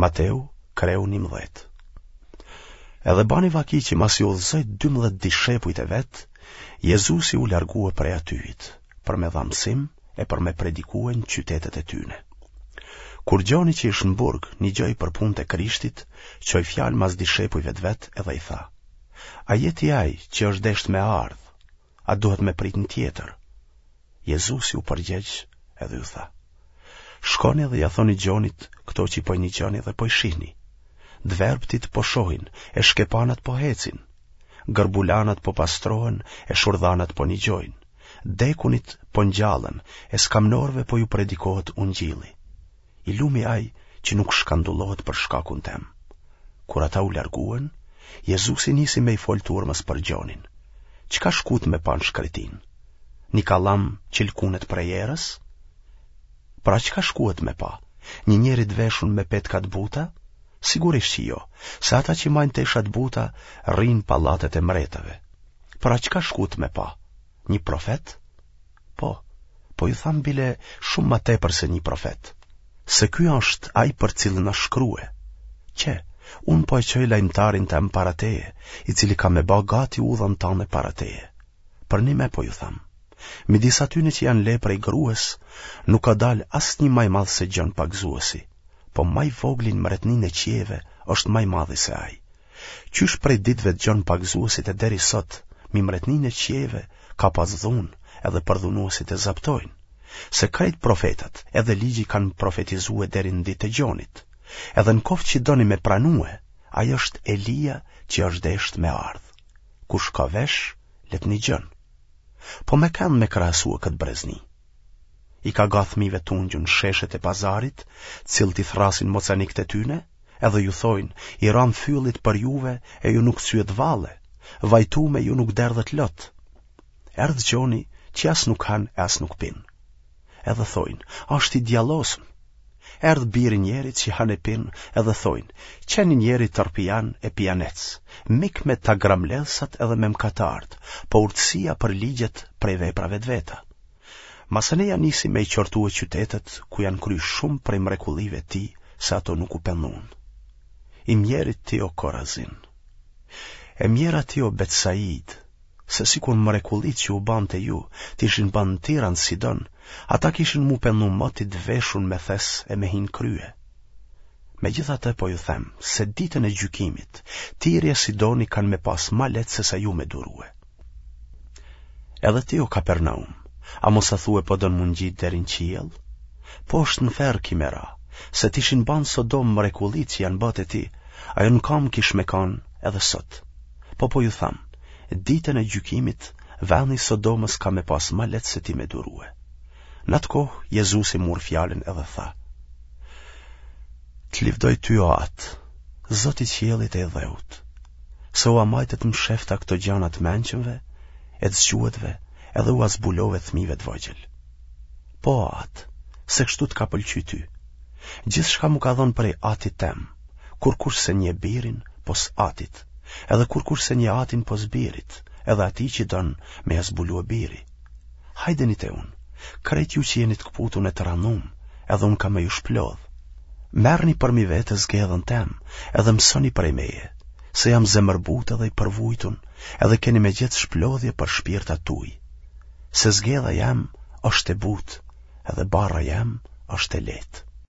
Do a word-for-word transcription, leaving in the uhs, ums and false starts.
Mateu, kreu njëmbëdhjetë. Edhe bani vaki që masi udhëzoi dymbëdhjetë dishepujt e vet, Jezusi u largue prej atyhit, për me dha mësim e për me predikue në qytetet e tyne. Kur Gjoni që ish në burg nigjoi për punët e Krishtit, çoi fjalë mas dishepujve të vet edhe i tha: A je ti ai që është deshtë me ardhë? A duhet me prit një tjetër? Jezusi u përgjegj edhe ju tha: Shkoni dhe ja thoni Gjonit këto që po i nigjoni dhe po i shihni. Të verbtit po shohin, e shkepanat po hecin, gërbulanat po pastrohen e shurdhanat po nigjojnë, dekunit po ngjallen e skamnorëve po ju predikohet ungjilli. I lumi ai që nuk shkandullohet për shkakun tem. Kur ata u larguen, Jezusi nisi me i fol turmës për Gjonin. Çka shkut me pa në shkretinë? Një kallam që lkunet prej erës? Pra çka shkuet me pa? Një njeri të veshun me petka të buta? Sigurisht që jo, se ata që majnë tesha të buta rrinë n'pallatet e mretave. Pra çka shkut me pa? Një profet? Po, po ju tham bile shumë ma tepër se një profet. Se ky është ai për cilin asht shkrue. Qe, unë po e çoj lajmëtarin tem para teje, i cili ka me ba gati udhën tane para teje. Përnime po ju tham, midis atyne që janë le prej grues, nuk ka dalë asnjë ma i madh se Gjon Pagëzuesi, po ma i vogli në mretninë e qiejve është ma i madhi se ai. Qysh prej ditëve të Gjon Pagëzuesit e deri sot, mi mretninë e qiejve ka pas dhunë, edhe përdhunuesit e zaptojnë. Se krejt profetat edhe ligji kanë profetizue deri në ditë të Gjonit. Edhe në koftë që doni me pranue, ai është Elia që është deshtë me ardhë. Kush ka vesh, le të nigjon. Po me kënd me krahasue këtë brezni? I ka ga thmive t'ungjun në sheshet e pazarit, cilët i thrasin mocanikët e tyne, edhe ju thojnë, i ramë fyllit për juve e ju nuk cyet valle, vajtume ju nuk derdhët lot. Erdh Gjoni që as nuk han e as nuk pin. Edhe thojnë, është i djallosëm. Erdh biri njerit që han e pin edhe thojnë, qe një njeri tërpian e pijanec, mik me tagramledhsat edhe me mkatarët, po urtësia përligjet prej veprave të veta. Masanej ja nisi me i qortue qytetet ku janë kry shumë prej mrekullive të tij, se ato nuk u pendun. I mjeri ti o Korazin. E mjera ti o Betsaid, se sikur mrekullitë që u banë te ju, t'ishin ba në Tir a në Sidon, ata kishin m'u pendu moti të veshun me thes e me hi n'krye. Megjithatë po ju them, se ditën e gjykimit, Tiri e Sidoni kanë me pas ma lehtë sesa ju me durue. Edhe ti o Kapernaum, a mos a thue po don m'u ngjit deri në qiell? Poshtë në ferr ki me ra, se t'ishin ba në Sodomë mrekullitë që janë ba te ti, ajo në kamë kish me kanë edhe sot. Po po ju tham, ditën e gjykimit, veni i Sodomës ka me pas ma lehtë se ti me durue. Në atë kohë, Jezusi mur fjalën edhe tha: Të livdoj ty o Atë, Zot i qiellit e i dheut, se ua majte të mshefta këto gjana të mençëmve e të zgjuetve edhe ua zbulove thmive të vogjël. Po, o Atë, se kështu të ka pëlqy ty. Gjithçka m'u ka dhënë prej Atit tem, kurkush s'e njeh birin pos Atit, edhe kurkush s'e njeh Atin pos birit, edhe atij që don me ia zbulue biri. Hajdeni te unë, krejt ju që jeni të këputun e të ranum, edhe unë kam me ju shplodh. Merrni përmi vete zgedhën tem, edhe mësoni prej meje, se jam zemërbutë edhe i përvujtun, edhe keni me gjetë shplodhje për shpirtat tuj. Se zgedha jem është e butë, edhe barra jem është e lehtë.